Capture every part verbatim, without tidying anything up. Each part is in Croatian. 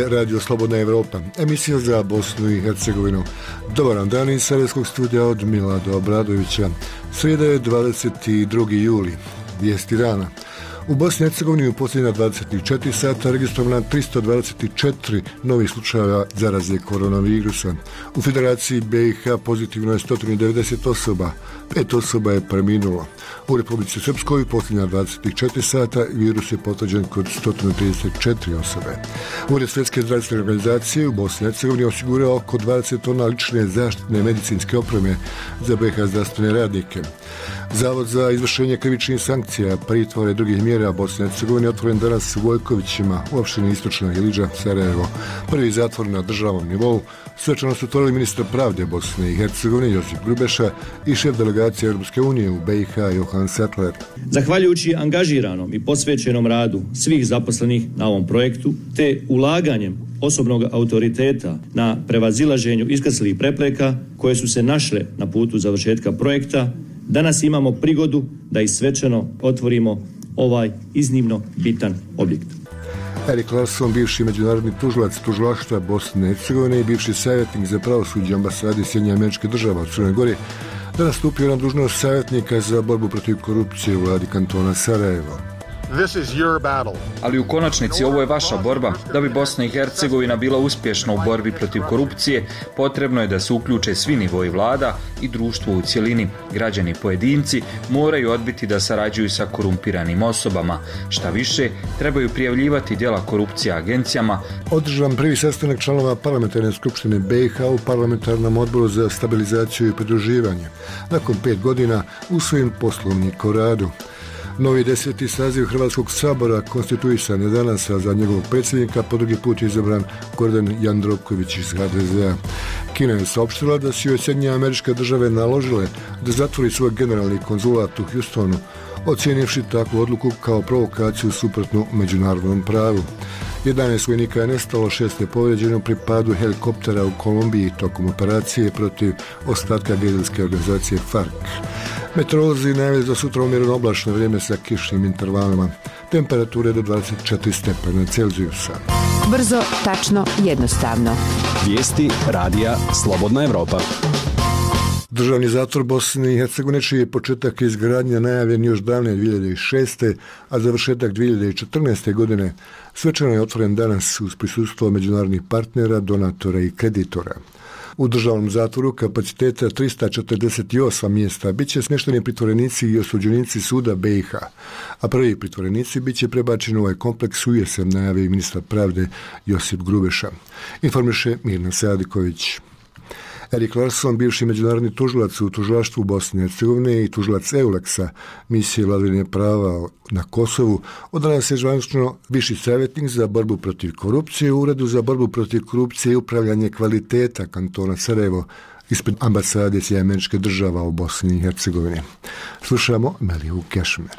je Radio Slobodna Evropa, emisija za Bosnu i Hercegovinu. Dobar vam dan iz Sarajevskog studija od Milada Obradovića. Srijeda je dvadeset drugi juli. Vijesti dana. U Bosni i Hercegovini u posljednja dvadeset četiri sata registrovana tristo dvadeset četiri novih slučajeva zaraze koronavirusa. U Federaciji B i H pozitivno je sto devedeset osoba, pet osoba je preminulo. U Republici Srpskoj u posljednja dvadeset četiri sata virus je potvrđen kod sto trideset četiri osobe. Ured Svjetske zdravstvene organizacije u Bosni i Hercegovini osigurao oko dvadeset tona lične zaštitne medicinske opreme za B i H zdravstvene radnike. Zavod za izvršenje krivičnih sankcija, pritvora i drugih mjera Bosne i Hercegovine otvoren danas u Vojkovićima, u opštini Istočna Iliđa, Sarajevo. Prvi zatvor na državnom nivou svečano su otvorili ministar pravde Bosne i Hercegovine Josip Grubeša i šef delegacije Europske unije u B i H Johan Sattler. Zahvaljujući angažiranom i posvećenom radu svih zaposlenih na ovom projektu, te ulaganjem osobnog autoriteta na prevazilaženju iskrslih prepreka koje su se našle na putu završetka projekta, danas imamo prigodu da i svečano otvorimo ovaj iznimno bitan objekt. Erik Larsson, bivši međunarodni tužilac tužilaštva Bosne i Hercegovine i bivši savjetnik za pravosuđe ambasade Sjedinjenih Američkih Država u Crnoj Gori, danas stupio na dužnost savjetnika za borbu protiv korupcije u vladi kantona Sarajevo. This is your battle. Ali u konačnici ovo je vaša borba. Da bi Bosna i Hercegovina bila uspješna u borbi protiv korupcije, potrebno je da se uključe svi nivoji vlada i društvo u cjelini. Građani pojedinci moraju odbiti da sarađuju sa korumpiranim osobama. Šta više, trebaju prijavljivati djela korupcije agencijama. Održan prvi sastanak članova parlamentarne skupštine B i H u parlamentarnom odboru za stabilizaciju i pridruživanje. Nakon pet godina usvojen poslovnik o radu. Novi deseti saziv Hrvatskog sabora konstituisan je danas, a za njegovog predsjednika po drugi put je izabran Gordan Jandroković iz H D Z a. Kina je saopštila da su joj Sjedinjene Američke Države naložile da zatvori svoj generalni konzulat u Houstonu, ocijenivši takvu odluku kao provokaciju suprotnu međunarodnom pravu. jedanaest vojnika je nestalo, šest je povrijeđeno pri padu helikoptera u Kolumbiji tokom operacije protiv ostatka gerilske organizacije FARC. Meteorolozi najavljaju za sutra umjereno oblačno vrijeme sa kišnim intervalima. Temperature do dvadeset četiri stepena Celzijusa. Brzo, tačno, jednostavno. Vijesti radija Slobodna Evropa. Državni zatvor Bosne i Hercegovine, čiji je početak izgradnje najavljen još davne dvije hiljade šeste. a završetak dvije hiljade četrnaeste. godine, svečano je otvoren danas uz prisustvo međunarodnih partnera, donatora i kreditora. U državnom zatvoru kapaciteta tristo četrdeset osam mjesta bit će smješteni pritvorenici i osuđenici suda B i H, a prvi pritvorenici bit će prebačeni u ovaj kompleks u jesen, najavi ministar pravde Josip Grubeša. Informiše Mirna Sadiković. Erik Larsson, bivši međunarodni tužilac u tužilaštvu Bosne i Hercegovine i tužilac EULEX-a, misije vladavine prava na Kosovu, od danas je zvanično viši savjetnik za borbu protiv korupcije u Uredu za borbu protiv korupcije i upravljanje kvaliteta kantona Sarajevo ispred ambasade Sjedinjenih Američkih Država u Bosni i Hercegovini. Slušamo Meliju Kešmer.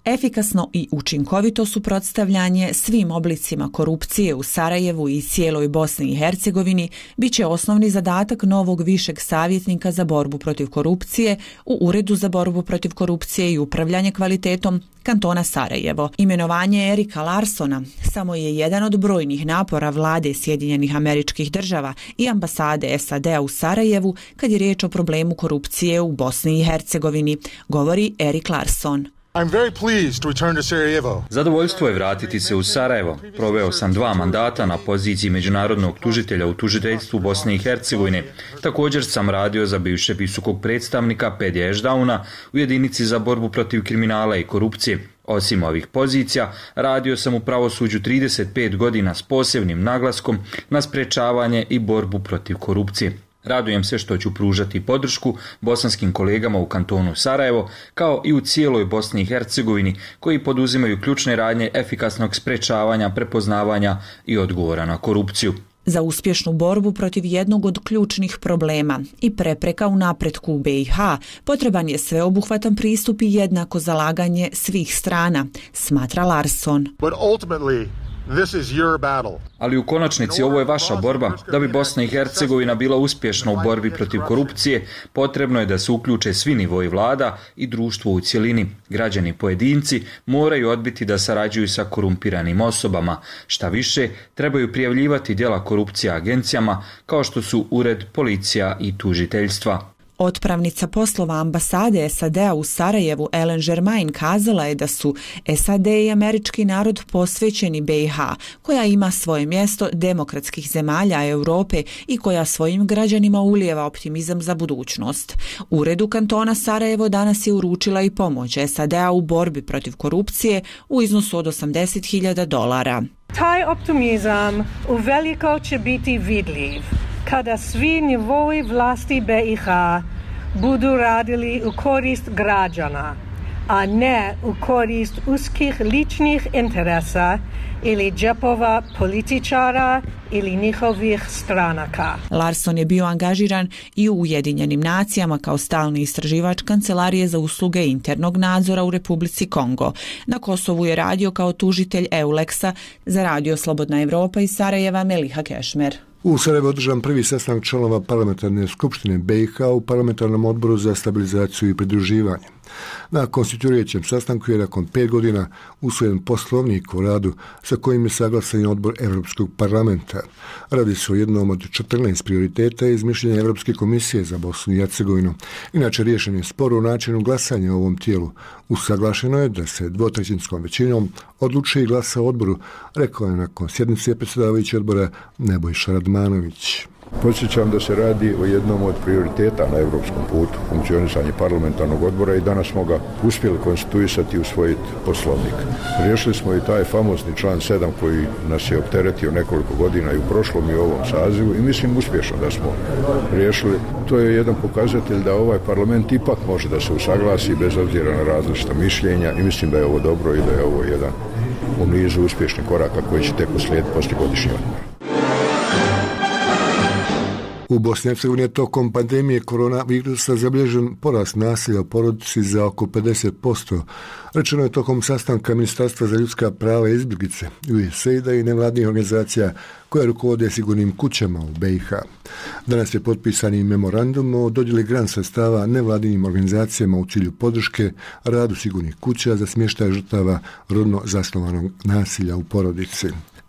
Efikasno i učinkovito suprotstavljanje svim oblicima korupcije u Sarajevu i cijeloj Bosni i Hercegovini biće osnovni zadatak novog višeg savjetnika za borbu protiv korupcije u Uredu za borbu protiv korupcije i upravljanje kvalitetom kantona Sarajevo. Imenovanje Erika Larssona samo je jedan od brojnih napora vlade Sjedinjenih Američkih Država i ambasade S A D a u Sarajevu kad je riječ o problemu korupcije u Bosni i Hercegovini, govori Erik Larsson. I'm very pleased to return to Sarajevo. Zadovoljstvo je vratiti se u Sarajevo. Proveo sam dva mandata na poziciji međunarodnog tužitelja u tužiteljstvu Bosne i Hercegovine. Također sam radio za bivšeg visokog predstavnika Pedija Ešdauna u jedinici za borbu protiv kriminala i korupcije. Osim ovih pozicija, radio sam u pravosuđu trideset pet godina s posebnim naglaskom na sprečavanje i borbu protiv korupcije. Radujem se što ću pružati podršku bosanskim kolegama u kantonu Sarajevo, kao i u cijeloj Bosni i Hercegovini, koji poduzimaju ključne radnje efikasnog sprečavanja, prepoznavanja i odgovora na korupciju. Za uspješnu borbu protiv jednog od ključnih problema i prepreka u napretku u B i H potreban je sveobuhvatan pristup i jednako zalaganje svih strana, smatra Larsson. But ultimately, This is your battle. Ali u konačnici ovo je vaša borba. Da bi Bosna i Hercegovina bila uspješna u borbi protiv korupcije, potrebno je da se uključe svi nivoi vlada i društvo u cjelini. Građani pojedinci moraju odbiti da sarađuju sa korumpiranim osobama. Šta više, trebaju prijavljivati djela korupcije agencijama kao što su ured, policija i tužiteljstva. Otpravnica poslova ambasade S A D-a u Sarajevu Ellen Germain kazala je da su S A D i američki narod posvećeni B i H, koja ima svoje mjesto demokratskih zemalja Europe i koja svojim građanima ulijeva optimizam za budućnost. Uredu kantona Sarajevo danas je uručila i pomoć S A D-a u borbi protiv korupcije u iznosu od osamdeset hiljada dolara. Taj optimizam uveliko će biti vidljiv kada svi nivoi vlasti B i H budu radili u korist građana, a ne u korist uskih ličnih interesa ili džepova političara ili njihovih stranaka. Larson je bio angažiran i u Ujedinjenim nacijama kao stalni istraživač Kancelarije za usluge internog nadzora u Republici Kongo. Na Kosovu je radio kao tužitelj Euleksa za Radio Slobodna Evropa iz Sarajeva Meliha Kešmer. U Sarajevu održan prvi sastanak članova parlamentarne skupštine B i H u parlamentarnom odboru za stabilizaciju i pridruživanje. Na konstituirajućem sastanku je nakon pet godina usvojen poslovnik o radu sa kojim je saglasan odbor Europskog parlamenta. Radi se o jednom od četrnaest prioriteta iz mišljenja Europske komisije za Bosnu i Hercegovinu. Inače, riješen je spor o načinu glasanja u ovom tijelu. Usaglašeno je da se dvotrećinskom većinom odlučuje i glasa o odboru, rekao je nakon sjednice predsjedavajući odbora Nebojša Radmanović. Podsjećam da se radi o jednom od prioriteta na europskom putu, funkcionisanje parlamentarnog odbora, i danas smo ga uspjeli konstituisati i usvojiti poslovnik. Riješili smo i taj famozni član sedam koji nas je opteretio nekoliko godina i u prošlom i u ovom sazivu, i mislim uspješno da smo riješili. To je jedan pokazatelj da ovaj parlament ipak može da se usaglasi bez obzira na različita mišljenja, i mislim da je ovo dobro i da je ovo jedan u nizu uspješnih koraka koji će tek uslijediti poslije godišnji odmor. U Bosni i Hercegovini je tokom pandemije koronavirusa zabilježen porast nasilja u porodici za oko pedeset posto. Rečeno je tokom sastanka Ministarstva za ljudska prava i izbjeglice, U S A I D-a i nevladnih organizacija koje rukovode sigurnim kućama u B i H. Danas je potpisan i memorandum o dodjeli grant sredstava nevladinim organizacijama u cilju podrške radu sigurnih kuća za smještaj žrtava rodno zasnovanog nasilja u porodici.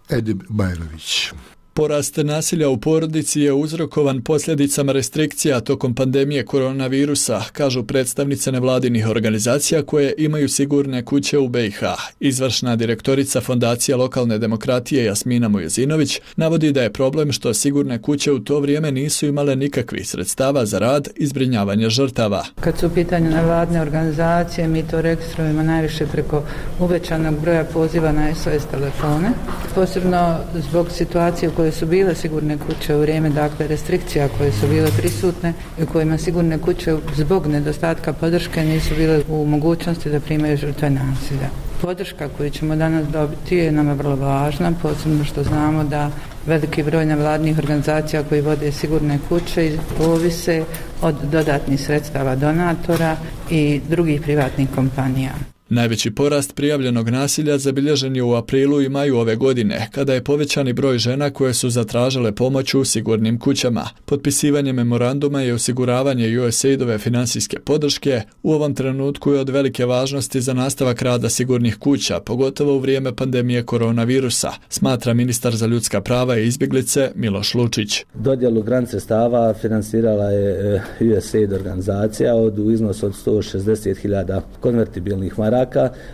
Edib Bajrović. Porast nasilja u porodici je uzrokovan posljedicama restrikcija tokom pandemije koronavirusa, kažu predstavnice nevladinih organizacija koje imaju sigurne kuće u B i H. Izvršna direktorica Fondacije lokalne demokratije Jasmina Mujezinović navodi da je problem što sigurne kuće u to vrijeme nisu imale nikakvih sredstava za rad i zbrinjavanje žrtava. Kad su u pitanju nevladine organizacije, mi to registrujemo najviše preko uvećanog broja poziva na S O S telefone, posebno zbog situacije u kojoj su bile sigurne kuće u vrijeme dakle restrikcija koje su bile prisutne i u kojima sigurne kuće zbog nedostatka podrške nisu bile u mogućnosti da primaju žrtve nasilja. Podrška koju ćemo danas dobiti je nama vrlo važna, posebno što znamo da veliki broj nevladnih organizacija koji vode sigurne kuće ovise od dodatnih sredstava donatora i drugih privatnih kompanija. Najveći porast prijavljenog nasilja zabilježen je u aprilu i maju ove godine, kada je povećani broj žena koje su zatražile pomoć u sigurnim kućama. Potpisivanje memoranduma i osiguravanje U S A I D-ove financijske podrške u ovom trenutku je od velike važnosti za nastavak rada sigurnih kuća, pogotovo u vrijeme pandemije koronavirusa, smatra ministar za ljudska prava i izbjeglice Miloš Lučić. Dodjelu grant sredstava financirala je U S A I D organizacija od u iznosu od sto šezdeset hiljada konvertibilnih maraka.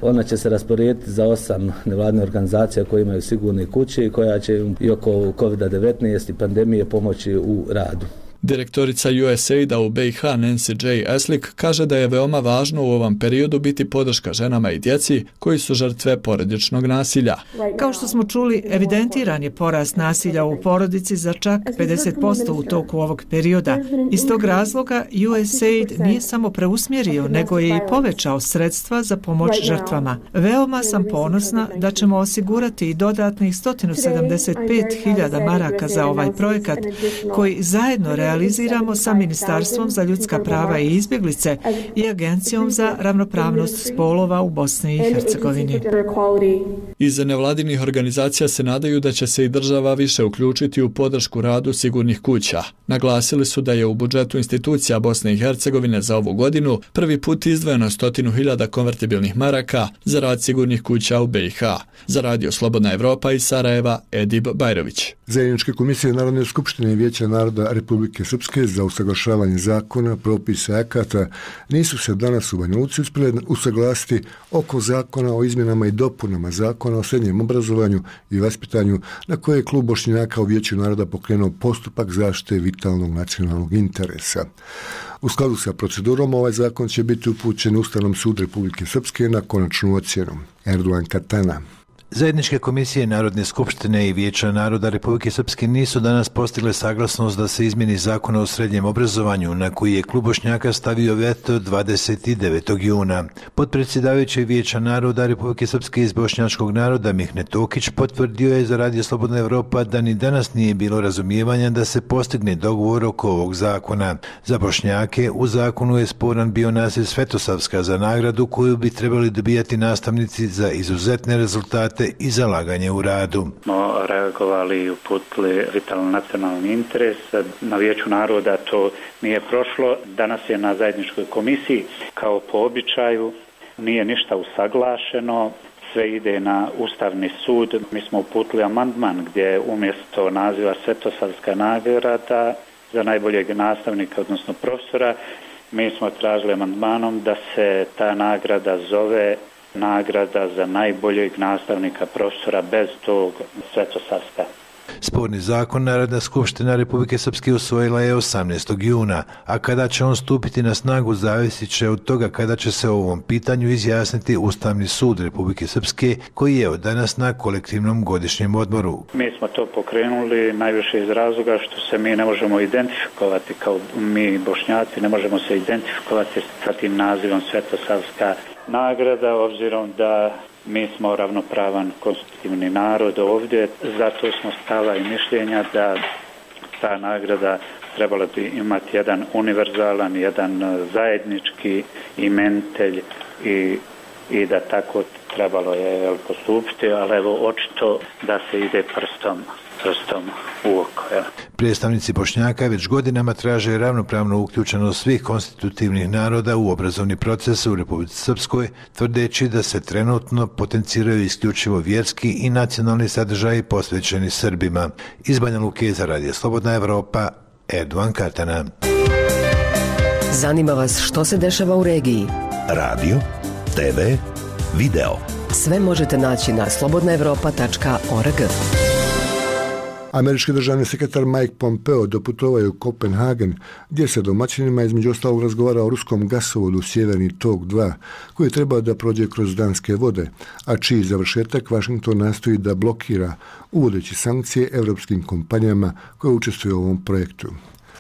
Ona će se rasporediti za osam nevladnih organizacija koje imaju sigurne kuće i koja će i oko kovid devetnaest i pandemije pomoći u radu. Direktorica U S A I D-a u B i H Nancy J. Eslik kaže da je veoma važno u ovom periodu biti podrška ženama i djeci koji su žrtve porodičnog nasilja. Kao što smo čuli, evidentiran je porast nasilja u porodici za čak pedeset posto u toku ovog perioda. Iz tog razloga U S A I D nije samo preusmjerio, nego je i povećao sredstva za pomoć žrtvama. Veoma sam ponosna da ćemo osigurati i dodatnih sto sedamdeset pet hiljada maraka za ovaj projekat koji zajedno realizuje realiziramo sa Ministarstvom za ljudska prava i izbjeglice i Agencijom za ravnopravnost spolova u Bosni i Hercegovini. Iz nevladinih organizacija se nadaju da će se i država više uključiti u podršku radu sigurnih kuća. Naglasili su da je u budžetu institucija Bosne i Hercegovine za ovu godinu prvi put izdvojeno stotinu hiljada konvertibilnih maraka za rad sigurnih kuća u B i H. Za Radio Slobodna Evropa iz Sarajeva, Edib Bajrović. Zajedničke komisije Narodne skupštine i Vijeća naroda Republike Srpske za usaglašavanje zakona, propisa i akata nisu se danas u Banja Luci uspjeli usaglasiti oko zakona o izmjenama i dopunama zakona o srednjem obrazovanju i vaspitanju na koje je klub Bošnjaka u Vijeću naroda pokrenuo postupak zaštite vitalnog nacionalnog interesa. U skladu sa procedurom ovaj zakon će biti upućen Ustavnom sudu Republike Srpske na konačnu ocjenu. Erdogan Katana. Zajedničke komisije Narodne skupštine i Vijeća naroda Republike Srpske nisu danas postigle saglasnost da se izmjeni zakon o srednjem obrazovanju, na koji je klub Bošnjaka stavio veto dvadeset devetog juna. Potpredsjedavajući Vijeća naroda Republike Srpske iz bošnjačkog naroda Mihne Tokić potvrdio je za Radio Slobodna Evropa da ni danas nije bilo razumijevanja da se postigne dogovor oko ovog zakona. Za Bošnjake u zakonu je sporan bio naziv Svetosavska za nagradu koju bi trebali dobijati nastavnici za izuzetne rezultate i zalaganje u radu. Smo reagovali i uputili vitalno nacionalni interes. Na Vijeću naroda to nije prošlo. Danas je na zajedničkoj komisiji kao po običaju. Nije ništa usaglašeno. Sve ide na Ustavni sud. Mi smo uputili amandman gdje umjesto naziva Svetosavska nagrada za najboljeg nastavnika, odnosno profesora, mi smo tražili amandmanom da se ta nagrada zove nagrada za najboljeg nastavnika profesora bez tog Svetosavska. Sporni zakon Narodna skupština Republike Srpske usvojila je osamnaestog juna, a kada će on stupiti na snagu zavisit će od toga kada će se o ovom pitanju izjasniti Ustavni sud Republike Srpske, koji je od danas na kolektivnom godišnjem odmoru. Mi smo to pokrenuli najviše iz razloga što se mi ne možemo identifikovati kao mi Bošnjaci, ne možemo se identifikovati sa tim nazivom Svetosavska nagrada, obzirom da mi smo ravnopravan konstitutivni narod ovdje, zato smo stava i mišljenja da ta nagrada trebala bi imati jedan univerzalan, jedan zajednički imenitelj i, i da tako trebalo je postupiti, ali evo očito da se ide prstom prstom u oko. Ja. Predstavnici Bošnjaka već godinama traže ravnopravnu uključenost svih konstitutivnih naroda u obrazovni proces u Republici Srpskoj, tvrdeći da se trenutno potenciraju isključivo vjerski i nacionalni sadržaji posvećeni Srbima. Iz Banja Luke za Radio Slobodna Evropa, Erdogan Katana. Zanima vas što se dešava u regiji? Radio, te ve, video. Sve možete naći na slobodna evropa tačka org. Američki državni sekretar Mike Pompeo doputovao je u Kopenhagen, gdje se domaćinima između ostalog razgovara o ruskom gasovodu Sjeverni tok dva, koji je trebao da prođe kroz danske vode, a čiji završetak Washington nastoji da blokira, uvodeći sankcije evropskim kompanijama koje učestvuju u ovom projektu.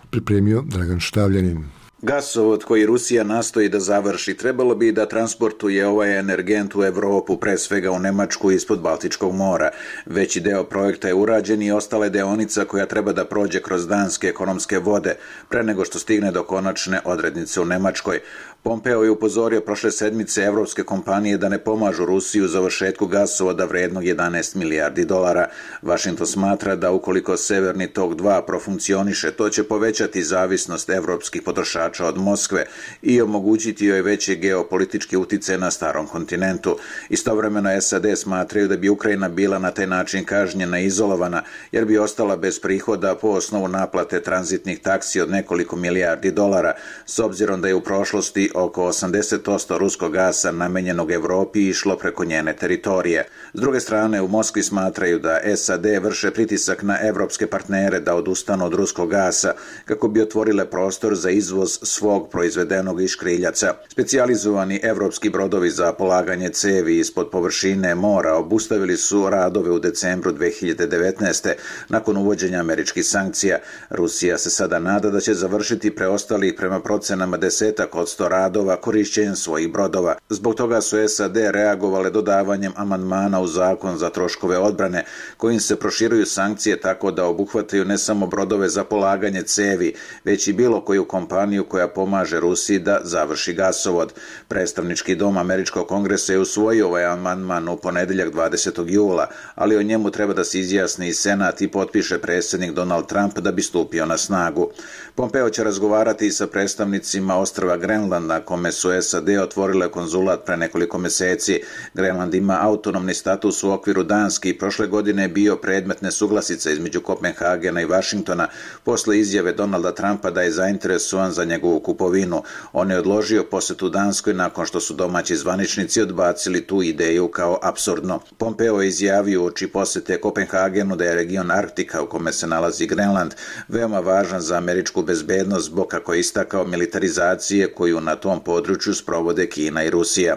Pripremio Dragan Štavljanin. Gasovod koji Rusija nastoji da završi trebalo bi da transportuje ovaj energent u Evropu, pre svega u Nemačku ispod Baltičkog mora. Veći deo projekta je urađen i ostale deonica koja treba da prođe kroz danske ekonomske vode, pre nego što stigne do konačne odrednice u Nemačkoj. Pompeo je upozorio prošle sedmice evropske kompanije da ne pomažu Rusiju u završetku gasovoda vrednog jedanaest milijardi dolara. Washington smatra da ukoliko Severni tok dva profunkcioniše, to će povećati zavisnost evropskih potrošača od Moskve i omogućiti joj veće geopolitičke uticaje na starom kontinentu. Istovremeno S A D smatraju da bi Ukrajina bila na taj način kažnjena i izolovana, jer bi ostala bez prihoda po osnovu naplate tranzitnih taksi od nekoliko milijardi dolara, s obzirom da je u prošlosti oko osamdeset posto ruskog gasa namenjenog Evropi išlo preko njene teritorije. S druge strane, u Moskvi smatraju da S A D vrše pritisak na evropske partnere da odustanu od ruskog gasa kako bi otvorile prostor za izvoz svog proizvedenog iz škriljaca. Specijalizovani evropski brodovi za polaganje cevi ispod površine mora obustavili su radove u decembru dve hiljade devetnaeste. nakon uvođenja američkih sankcija. Rusija se sada nada da će završiti preostali prema procenama desetak od sto radova korišćenjem svojih brodova. Zbog toga su S A D reagovale dodavanjem amandmana u zakon za troškove odbrane, kojim se proširuju sankcije tako da obuhvataju ne samo brodove za polaganje cevi, već i bilo koju kompaniju koja pomaže Rusiji da završi gasovod. Predstavnički dom Američkog kongresa je usvojio ovaj amandman u ponedeljak dvadesetog jula, ali o njemu treba da se izjasni i Senat i potpiše predsjednik Donald Trump da bi stupio na snagu. Pompeo će razgovarati i sa predstavnicima ostrva Grenland, na kome su S A D otvorile konzulat pre nekoliko meseci. Grenland ima autonomni status u okviru Danske i prošle godine je bio predmet nesuglasica između Kopenhagena i Vašingtona posle izjave Donalda Trumpa da je zainteresovan za njegovu kupovinu. On je odložio posetu Danskoj nakon što su domaći zvaničnici odbacili tu ideju kao apsurdno. Pompeo je izjavio uoči posete Kopenhagenu da je region Arktika u kome se nalazi Grenland veoma važan za američku bezbednost zbog, kako je istakao, militarizacije koju na tom području sprovode Kina i Rusija.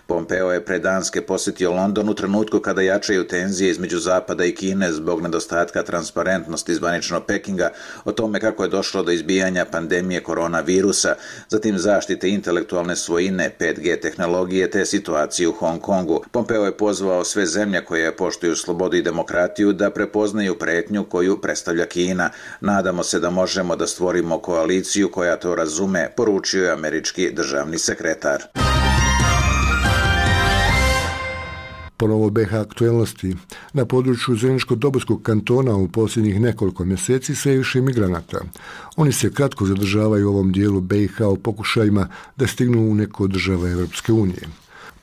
Pompeo je pre Danske posjetio London u trenutku kada jačaju tenzije između Zapada i Kine zbog nedostatka transparentnosti zvaničnog Pekinga o tome kako je došlo do izbijanja pandemije koronavirusa, zatim zaštite intelektualne svojine, pet G tehnologije te situacije u Hong Kongu. Pompeo je pozvao sve zemlje koje poštuju slobodu i demokratiju da prepoznaju pretnju koju predstavlja Kina. Nadamo se da možemo da stvorimo koaliciju koja to razume, poručio je američki državni sekretar. Ponovo B H aktuelnosti. Na području Zeničko-Dobojskog kantona u posljednjih nekoliko mjeseci sve više migranata. Oni se kratko zadržavaju u ovom dijelu B i H u pokušajima da stignu u neku od država Europske unije.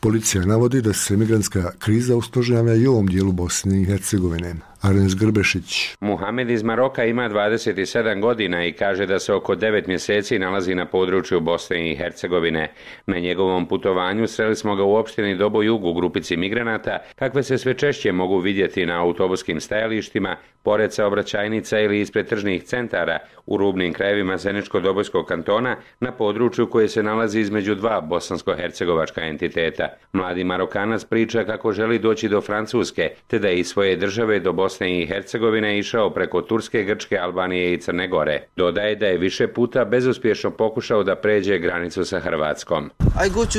Policija navodi da se migrantska kriza usložnjava i u ovom dijelu Bosne i Hercegovine. Arens Grbešić. Muhamed iz Maroka ima dvadeset sedam godina i kaže da se oko devet mjeseci nalazi na području Bosne i Hercegovine. Na njegovom putovanju sreli smo ga u opštini Dobojug u grupici migranata, kakve se sve češće mogu vidjeti na autobuskim stajalištima, pored saobraćajnica ili ispred tržnih centara u rubnim krajevima Zeničko-Dobojskog kantona na području koje se nalazi između dva bosansko-hercegovačka entiteta. Mladi Marokanac priča kako želi doći do Francuske, te da iz svoje države do Bosne i Hercegovine išao preko Turske, Grčke, Albanije i Crne Gore. Dodaje da je više puta bezuspješno pokušao da pređe granicu sa Hrvatskom. I go to,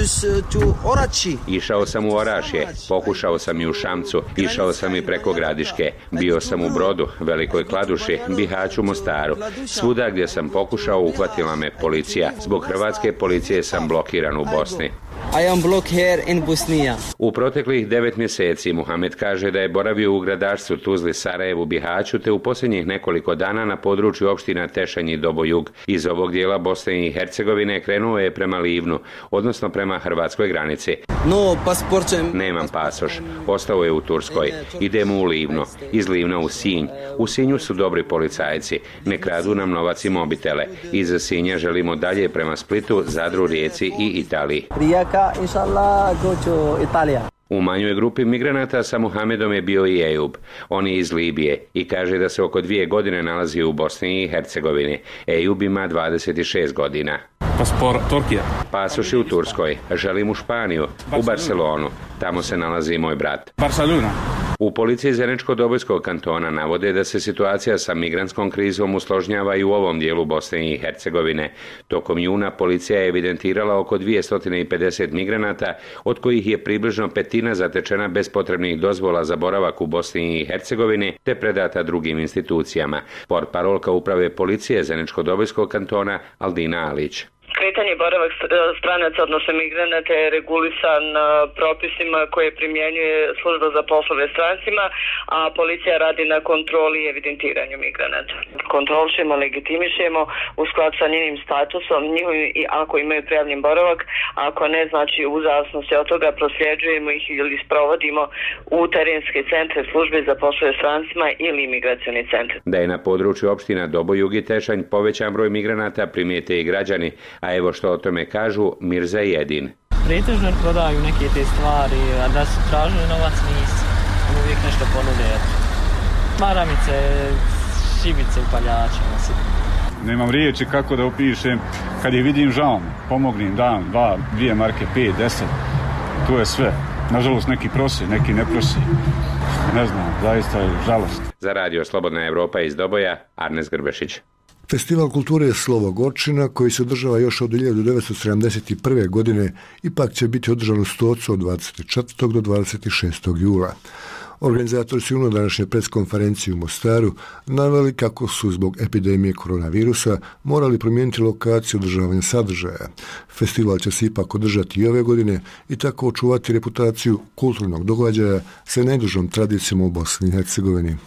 to Orači. Išao sam u Orašje, pokušao sam i u Šamcu, išao sam i preko Gradiške, bio sam u Brodu, Velikoj Kladuši, Bihaću, Mostaru. Svuda gdje sam pokušao uhvatila me policija. Zbog hrvatske policije sam blokiran u Bosni. I am blocked here in Bosnia. U proteklih devet mjeseci Muhamed kaže da je boravio u gradašcu Tuzli, Sarajevu, Bihaću te u posljednjih nekoliko dana na području opština Tešanj i Dobojug. Iz ovog dijela Bosne i Hercegovine krenuo je prema Livnu, odnosno prema hrvatskoj granici. No, pasport. Nemam pasoš. Ostao je u Turskoj. Idemo u Livno. Iz Livna u Sinj. U Sinju su dobri policajci. Ne kradu nam novac i mobitele. Iz Sinja želimo dalje prema Splitu, Zadru, Rijeci i Italiji. Rijeka, inshallah, go to Italija. U manjoj grupi migranata sa Muhamedom je bio i Ejub. On je iz Libije i kaže da se oko dvije godine nalazi u Bosni i Hercegovini. Ejub ima dvadeset šest godina. Paspor Turkija. Pasoš je u Turskoj. Želim u Španiju, u Barcelonu. Tamo se nalazi moj brat. Barcelona. U policiji Zeničko-Dobojskog kantona navode da se situacija sa migrantskom krizom usložnjava i u ovom dijelu Bosne i Hercegovine. Tokom juna policija je evidentirala oko dvjesto pedeset migranata, od kojih je približno petina zatečena bez potrebnih dozvola za boravak u Bosni i Hercegovini te predata drugim institucijama. Portparolka uprave policije Zeničko-Dobojskog kantona Aldina Alić. Kretanje i boravak stranaca, odnosno migranata, je regulisan propisima koje primjenjuje služba za poslove strancima, a policija radi na kontroli i evidentiranju migranata. Kontrolišemo, legitimišemo u skladu sa njenim statusom, njihovim, i ako imaju prijavljen boravak, ako ne, znači u zavisnosti od toga prosljeđujemo ih ili sprovodimo u terenske centre službe za poslove strancima ili imigracioni centre. Da je na području opština Dobojug i Tešanj povećan broj migranata primijete i građani, a evo što o tome kažu Mirza Jedin. Pretežno prodaju neke te stvari, a da su tražili novac nisu. On uvijek nešto ponude. Maramice, šibice, upaljače. nemam riječi kako da opišem. Kad je vidim, žao mi, pomognim, dan, dva, dvije marke, pet, deset, to je sve. Nažalost, neki prosi, neki ne prosi. Ne znam, zaista je žalost. Za radio Slobodna Evropa iz Doboja, Arnes Grbešić. Festival kulture Slovo Gorčina, koji se održava još od hiljadu devetsto sedamdeset prve. godine, ipak će biti održan u Stocu od dvadeset četvrtog do dvadeset šestog jula. Organizatori su u današnje preskonferenciji u Mostaru naveli kako su zbog epidemije koronavirusa morali promijeniti lokaciju održavanja sadržaja. Festival će se ipak održati i ove godine i tako očuvati reputaciju kulturnog događaja sa najdužom tradicijom u Bosni i Hercegovini.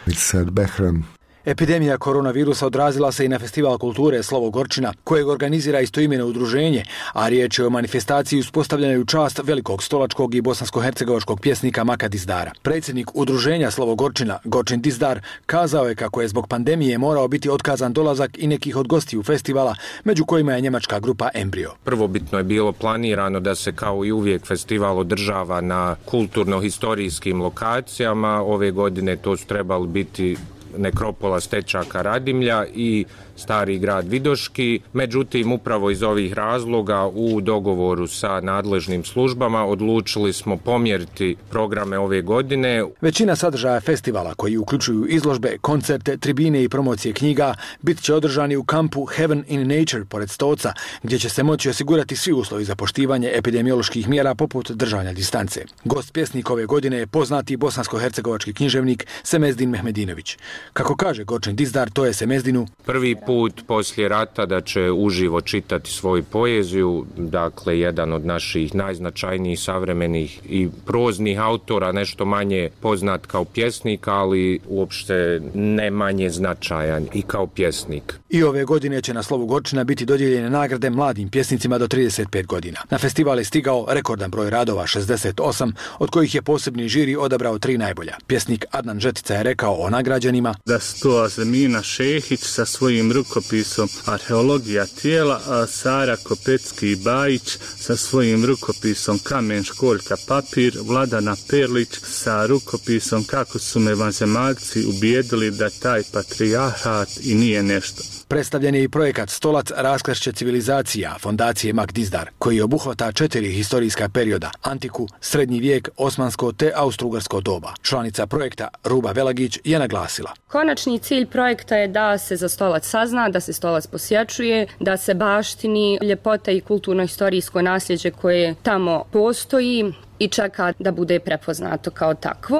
Mirsad Behram. Epidemija koronavirusa odrazila se i na Festival kulture Slovo Gorčina, kojeg organizira istoimeno udruženje, a riječ je o manifestaciji uspostavljenoj u čast velikog stolačkog i bosansko-hercegovačkog pjesnika Maka Dizdara. Predsjednik udruženja Slovo Gorčina, Gorčin Dizdar, kazao je kako je zbog pandemije morao biti otkazan dolazak i nekih od gostiju festivala, među kojima je njemačka grupa Embryo. Prvobitno je bilo planirano da se kao i uvijek festival održava na kulturno-historijskim lokacijama. Ove godine to su trebali biti nekropola Stečaka Radimlja i Stari grad Vidoški. Međutim, upravo iz ovih razloga u dogovoru sa nadležnim službama odlučili smo pomjeriti programe ove godine. Većina sadržaja festivala, koji uključuju izložbe, koncerte, tribine i promocije knjiga, bit će održani u kampu Heaven in Nature pored Stoca, gdje će se moći osigurati svi uslovi za poštivanje epidemioloških mjera poput držanja distance. Gost pjesnik ove godine je poznati bosansko-hercegovački književnik Semezdin Mehmedinović. Kako kaže Gorčin Dizdar, to je Semezdinu prvi put poslije rata da će uživo čitati svoju poeziju, dakle jedan od naših najznačajnijih savremenih i proznih autora, nešto manje poznat kao pjesnik, ali uopšte ne manje značajan i kao pjesnik. I ove godine će na Slovu Gorčina biti dodijeljene nagrade mladim pjesnicima do trideset pet godina. Na festival je stigao rekordan broj radova, šezdeset osam, od kojih je posebni žiri odabrao tri najbolja. Pjesnik Adnan Žetica je rekao o nagrađenima da su to Azemina Šehić sa svojim rukopisom Arheologija tijela, a Sara Kopecki Bajić sa svojim rukopisom Kamen, školjka, papir, Vladana Perlić sa rukopisom Kako su me vanzemaljci ubijedili da taj patrijarhat i nije nešto. Predstavljen je i projekat Stolac raskršće civilizacija fondacije Mak Dizdar, koji obuhvata četiri historijska perioda, antiku, srednji vijek, osmansko te austrougarsko doba. Članica projekta Ruba Velagić je naglasila: konačni cilj projekta je da se za Stolac sazna, da se Stolac posjećuje, da se baštini ljepota i kulturno-historijsko nasljeđe koje tamo postoji i čeka da bude prepoznato kao takvo.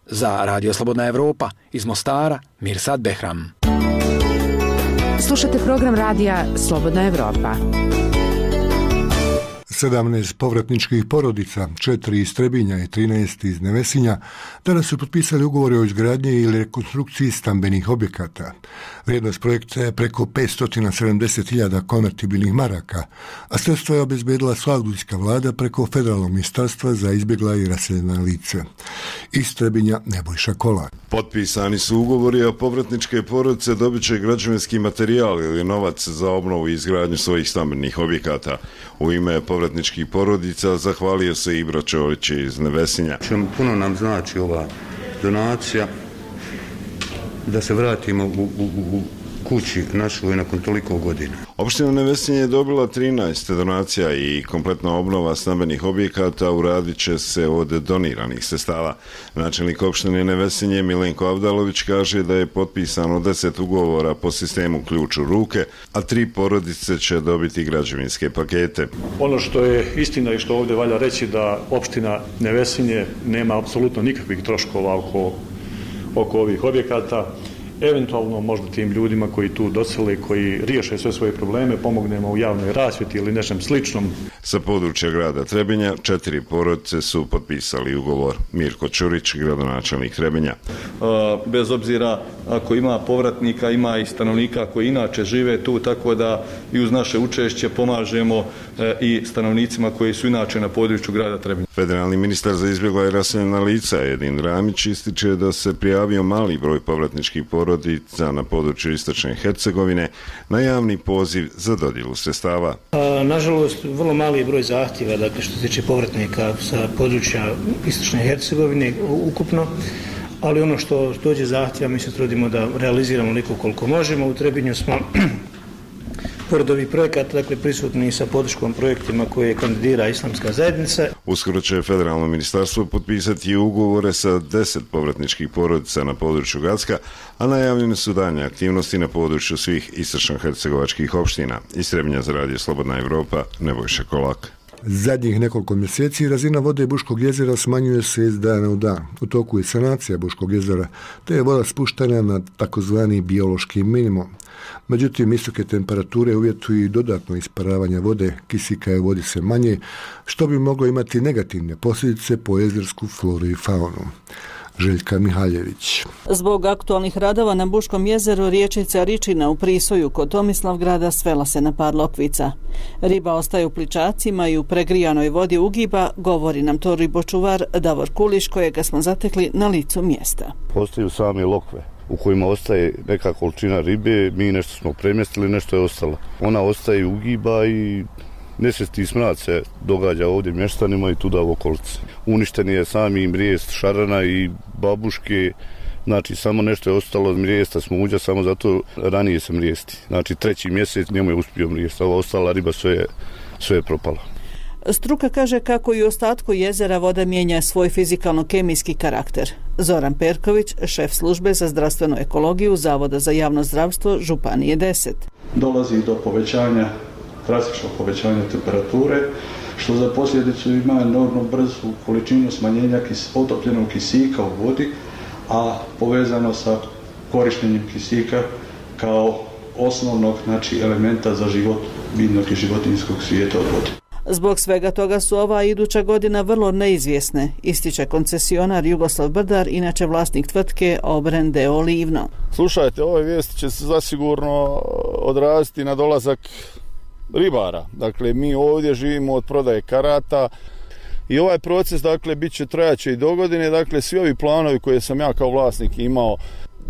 Za Radio Slobodna Evropa iz Mostara, Mirsad Behram. Slušate program radija Slobodna Evropa. sedamnaest povratničkih porodica, četiri iz Trebinja i trinaest iz Nevesinja, danas su potpisali ugovore o izgradnji ili rekonstrukciji stambenih objekata. Vrijednost projekta je preko petsto sedamdeset hiljada konvertibilnih maraka, a sredstva je obezbedila Saudijska vlada preko Federalnog ministarstva za izbjegla i raseljena lice. Iz Trebinja Nebojša Kolak. Potpisani su ugovori, a povratničke porodice dobit će građevinski materijal ili novac za obnovu i izgradnju svojih stambenih objekata. U ime povratničkih porodica zahvalio se Ibra Čorić iz Nevesinja. Puno nam znači ova donacija da se vratimo u, u, u kući našoj nakon toliko godina. Opština Nevesinje je dobila trinaest donacija i kompletna obnova stambenih objekata uradit će se od doniranih sredstava. Načelnik opštine Nevesinje Milenko Avdalović kaže da je potpisano deset ugovora po sistemu ključ u ruke, a tri porodice će dobiti građevinske pakete. Ono što je istina i što ovdje valja reći da opština Nevesinje nema apsolutno nikakvih troškova oko, oko ovih objekata. Eventualno možda tim ljudima koji tu dosele, koji riješe sve svoje probleme, pomognemo u javnoj rasvjeti ili nečem sličnom. Sa područja grada Trebinja četiri porodice su potpisali ugovor. Mirko Čurić, gradonačelnik Trebinja. Bez obzira ako ima povratnika, ima i stanovnika koji inače žive tu, tako da i uz naše učešće pomažemo i stanovnicima koji su inače na području grada Trebinja. Federalni ministar za izbjegla i raseljena lica Edin Ramić ističe da se prijavio mali broj povratničkih porodica na području istočne Hercegovine na javni poziv za dodjelu sredstava. Nažalost, vrlo mali broj zahtjeva, dakle što se tiče povratnika sa područja istočne Hercegovine ukupno, ali ono što dođe zahtjeva mi se trudimo da realiziramo onoliko koliko možemo. U Trebinju smo pored ovih projekata, dakle, prisutni sa podrškom projektima koje kandidira Islamska zajednica. Uskoro će federalno ministarstvo potpisati ugovore sa deset povratničkih porodica na području Gacka, a najavljene su daljnje aktivnosti na području svih istočno-hercegovačkih opština. Iz Trebinja za Radio Slobodna Evropa, Nebojša Kolak. Zadnjih nekoliko mjeseci razina vode Buškog jezera smanjuje se iz dana u dan. U toku je sanacija Buškog jezera, te je voda spuštena na takozvani biološki minimum. Međutim, visoke temperature uvjetuju i dodatno isparavanje vode, kisika je u vodi sve manje, što bi moglo imati negativne posljedice po jezersku floru i faunu. Željka Mihaljević. Zbog aktualnih radova na Buškom jezeru riječica Ričina u Prisoju kod Tomislavgrada svela se na par lokvica. Riba ostaje u pličacima i u pregrijanoj vodi ugiba, govori nam to ribočuvar Davor Kuliš, kojega smo zatekli na licu mjesta. Ostaju same lokve u kojima ostaje neka količina ribe, mi nešto smo premjestili, nešto je ostalo. Ona ostaje ugiba i nesvesti smrad se događa ovdje mještanima i tuda u okolici. Uništen je sami mrijest šarana i babuške, znači samo nešto je ostalo od mrijesta smuđa, samo zato ranije se mrijesti. Znači treći mjesec njemu je uspio mrijest, a ova ostala riba sve je, sve je propala. Struka kaže kako i u ostatku jezera voda mijenja svoj fizikalno-kemijski karakter. Zoran Perković, šef službe za zdravstvenu ekologiju Zavoda za javno zdravstvo Županije deset. Dolazi do povećanja, drastičnog povećanja temperature, što za posljedicu ima enormno brzu količinu smanjenja kis, potopljenog kisika u vodi, a povezano sa korištenjem kisika kao osnovnog, znači, elementa za život biljnog i životinjskog svijeta od vode. Zbog svega toga su ova iduća godina vrlo neizvjesne, ističe koncesionar Jugoslav Brdar, inače vlasnik tvrtke Obren d o. Livno. Slušajte, ove vijesti će se zasigurno odraziti na dolazak ribara. Dakle, mi ovdje živimo od prodaje karata i ovaj proces, dakle, bit će trajaće i do godine. Dakle, svi ovi planovi koje sam ja kao vlasnik imao,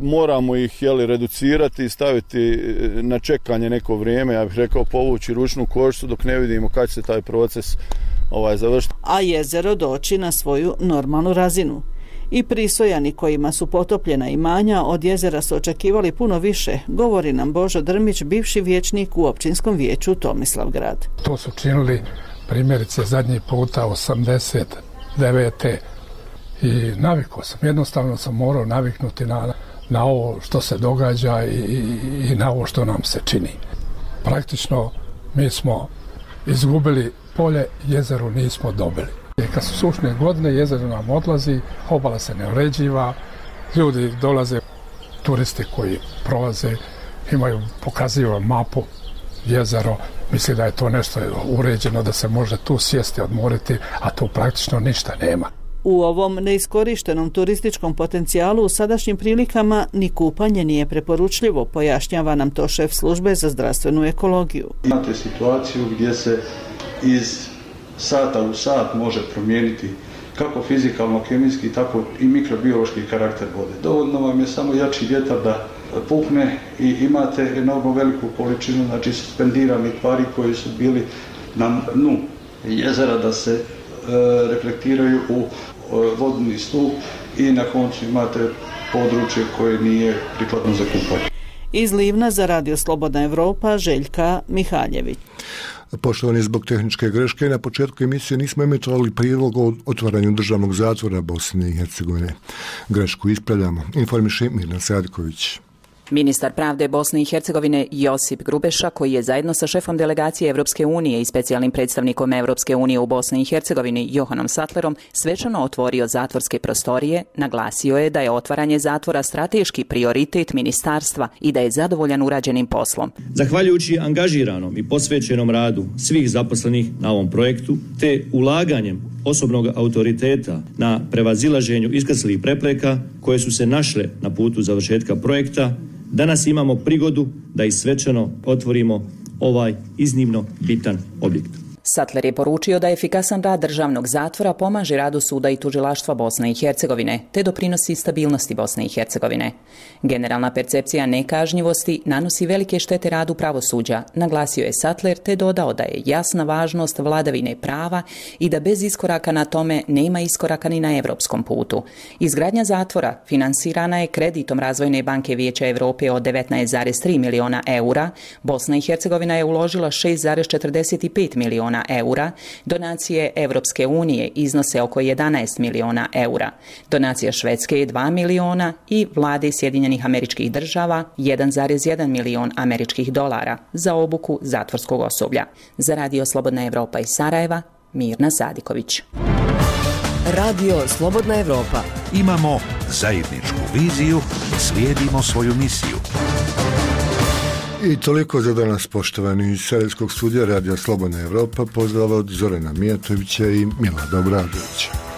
moramo ih, jeli, reducirati i staviti na čekanje neko vrijeme, ja bih rekao povući ručnu koštu dok ne vidimo kad će se taj proces ovaj, završiti. A jezero doći na svoju normalnu razinu. I Prisojani kojima su potopljena imanja od jezera su očekivali puno više, govori nam Božo Drmić, bivši vijećnik u općinskom vijeću Tomislavgrad. To su činili primjerice zadnji puta osamdeset devete i navikao sam, jednostavno sam morao naviknuti na, na ovo što se događa i, i, i na ovo što nam se čini. Praktično mi smo izgubili polje, jezero nismo dobili. Kad su sušne godine, jezero nam odlazi, obala se ne uređiva, ljudi dolaze, turisti koji prolaze, imaju, pokazuju mapu, jezero, misli da je to nešto uređeno, da se može tu sjesti, odmoriti, a tu praktično ništa nema. U ovom neiskorištenom turističkom potencijalu u sadašnjim prilikama ni kupanje nije preporučljivo, pojašnjava nam to šef službe za zdravstvenu ekologiju. Imate situaciju gdje se iz sata u sat može promijeniti kako fizikalno-kemijski, tako i mikrobiološki karakter vode. Dovoljno vam je samo jači vjetar da puhne i imate enormno veliku količinu, znači, suspendiranih tvari koji su bili na dnu jezera da se e, reflektiraju u e, vodni stup i na koncu imate područje koje nije prikladno za kupanje. Iz Livna za Radio Slobodna Evropa, Željka Mihaljević. Poštovani, zbog tehničke greške na početku emisije nismo emitovali prilog o otvaranju državnog zatvora Bosne i Hercegovine. Grešku ispravljamo. Informiše Mirna Sadiković. Ministar pravde Bosne i Hercegovine Josip Grubeša, koji je zajedno sa šefom delegacije Evropske unije i specijalnim predstavnikom Evropske unije u Bosni i Hercegovini Johanom Sattlerom svečano otvorio zatvorske prostorije, naglasio je da je otvaranje zatvora strateški prioritet ministarstva i da je zadovoljan urađenim poslom. Zahvaljujući angažiranom i posvećenom radu svih zaposlenih na ovom projektu, te ulaganjem osobnog autoriteta na prevazilaženju iskrslih prepreka koje su se našle na putu završetka projekta, danas imamo prigodu da i svečano otvorimo ovaj iznimno bitan objekt. Sattler je poručio da efikasan rad državnog zatvora pomaže radu suda i tužilaštva Bosne i Hercegovine, te doprinosi stabilnosti Bosne i Hercegovine. Generalna percepcija nekažnjivosti nanosi velike štete radu pravosuđa, naglasio je Sattler, te dodao da je jasna važnost vladavine prava i da bez iskoraka na tome nema iskoraka ni na evropskom putu. Izgradnja zatvora finansirana je kreditom Razvojne banke Vijeća Europe od devetnaest zarez tri miliona eura, Bosna i Hercegovina je uložila šest zarez četrdeset pet miliona eura, donacije Evropske unije iznose oko jedanaest miliona eura, donacija Švedske je dva miliona i vlade Sjedinjenih Američkih Država jedan zarez jedan milion američkih dolara za obuku zatvorskog osoblja. Za Radio Slobodna Evropa iz Sarajeva, Mirna Sadiković. Radio Slobodna Evropa. Imamo zajedničku viziju, slijedimo svoju misiju. I toliko za danas, poštovani, iz Sarajevskog studija Radio Slobodna Evropa. Pozdrav od Zorana Mijatovića i Milada Obradovića.